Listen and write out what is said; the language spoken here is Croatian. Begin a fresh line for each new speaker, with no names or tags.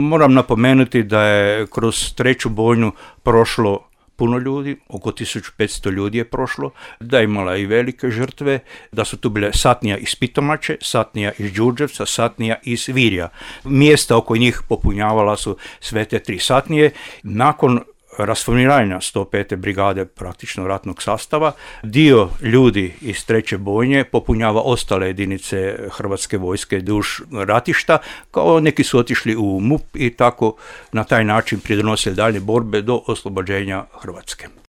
Moram napomenuti da je kroz treću bojnu prošlo puno ljudi, oko 1500 ljudi je prošlo, da je imala i velike žrtve, da su tu bile satnija iz Pitomače, satnija iz Đurđevca, satnija iz Virja. Mjesta oko njih popunjavala su sve te tri satnije. Nakon rasformiranja 105. brigade praktično ratnog sastava, dio ljudi iz treće bojnje popunjava ostale jedinice Hrvatske vojske duž ratišta, kao neki su otišli u MUP i tako na taj način pridonosili dalje borbe do oslobođenja Hrvatske.